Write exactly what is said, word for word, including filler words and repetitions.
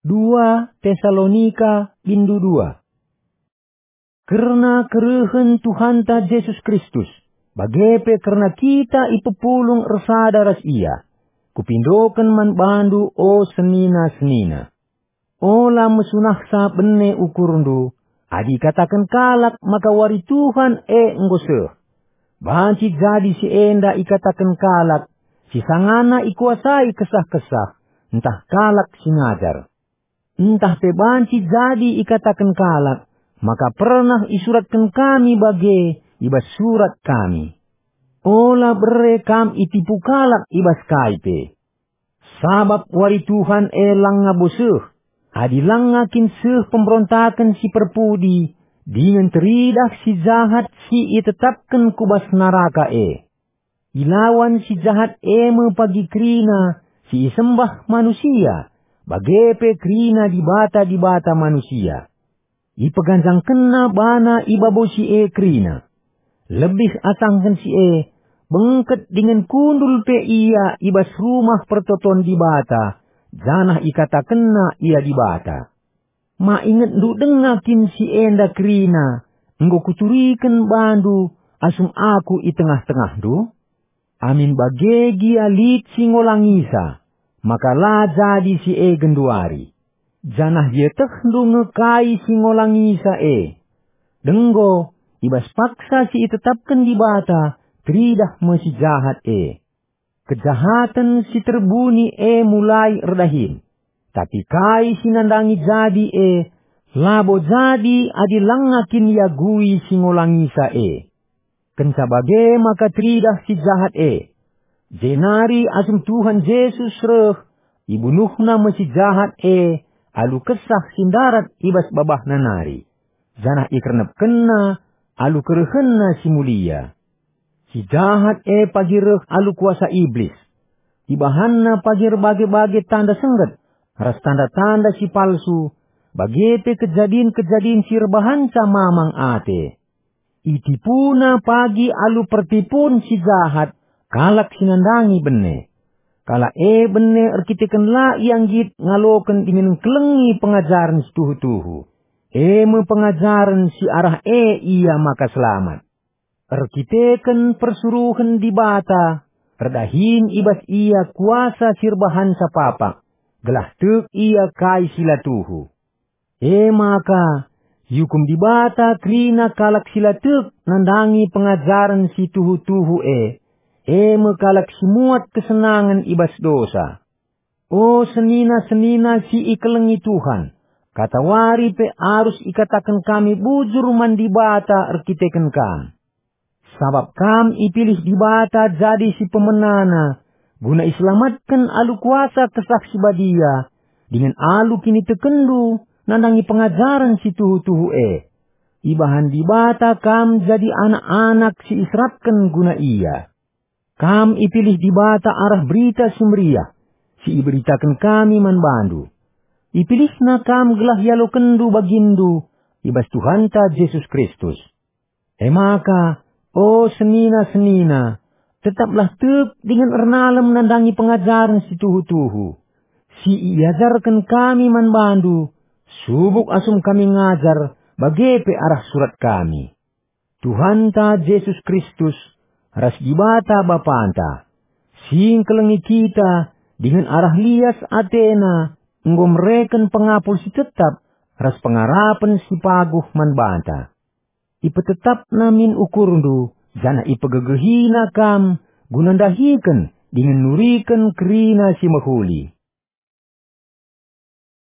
Dua Tesalonika bindu dua. Kerna kerehen Tuhanta Jesus Kristus, bage pe kerna kita ipepulung ersada ras Ia, kupindoken man bandu, o senina-senina. Ola mesunahsa bene ukurndu, adi ikataken kalak maka wari Tuhan e enggo seh. Banci jadi si enda ikataken kalak si sangana ikuasai kesah-kesah, ntah kalak si ngajar. Ntah pe banci jadi ikataken kalak maka pernah isuratken kami bage i bas surat kami. Ola bere kam itipu kalak i bas kai pe. Sabap wari Tuhan e langa bo seh, adi langa kin seh pemberontaken si perpudi dingen teridah si jahat si itetapken ku bas naraka e. Ilawan si jahat e me pagi kerina si isembah manusia, bage pe kerina dibata-dibata manusia. Ipeganjangkenna bana i babo si e kerina. Lebih asangken si e, bengket dingen kundul pe ia i bas rumah pertoton Dibata, janah ikatakenna ia Dibata. Ma ingetndu denga kin si enda kerina enggo kuturiken bandu asum aku i tengah-tengahndu? Amin bage gia lit si ngolangisa, maka la jadi si e genduari. Janah ietehndu nge kai si ngolangisa e. Denggo, i bas paksa si itetapken Dibata, teridah me si jahat e. Kejahaten si terbuni e mulai erdahin, tapi kai si nandangi jadi e, labo jadi adi langa kin iagui si ngolangisa e. Kenca bage maka teridah si jahat e. Jenari asum Tuhan Jesus reh, ibunuhna me si jahat e alu kesah si ndarat i bas babahna nari, janah ikernepkenna alu kerehenna si mulia. Si jahat e pagi reh alu kuasa Iblis. Ibahanna pagi erbage-bage tanda sengget, ras tanda-tanda si palsu, bage pe kejadin-kejadin si erbahanca mamang ate. Itipuna pagi alu pertipun si jahat kalak si nandangi bene. Kalak e bene erkiteken la ia nggit ngaloken dingen ngkelengi pengajaren si tuhu-tuhu. E me pengajaren si arah e ia maka selamat. Erkiteken persuruhen Dibata, erdahin i bas ia kuasa si erbahanca papak, gelah tek ia kai si la tuhu. E maka, iukum Dibata kerina kalak si la tek nandangi pengajaren si tuhu-tuhu e, e me kalak si muat kesenangen i bas dosa. O senina-senina si ikelengi Tuhan, katawari pe arus ikataken kami bujur man Dibata erkiteken kam. Sabap kam ipilih Dibata jadi si pemenana, guna iselamatken alu kuasa Kesah Si Badia, dingen alu kinitekenndu nandangi pengajaren si tuhu-tuhu e. Ibahan Dibata kam jadi anak-anak si iserapken guna Ia. Kam ipilih Dibata arah Berita Si Meriah, si iberitaken kami man bandu. IpilihNa kam gelah ialokenndu baginndu i bas Tuhanta Jesus Kristus. E maka, o senina-senina, tetaplah tek dingen ernalem nandangi pengajaren si tuhu-tuhu, si iajarken kami man bandu, subuk asum kami ngajar, bage pe arah surat kami. Tuhanta Jesus Kristus ras Dibata Bapanta, si ngkelengi kita dingen arah lias ateNa enggo mereken pengapul si tetap ras pengarapen si paguh man banta. IpetetapNa min ukurndu, janah ipegegehiNa kam guna ndahiken dingen nuriken kerina si mehuli.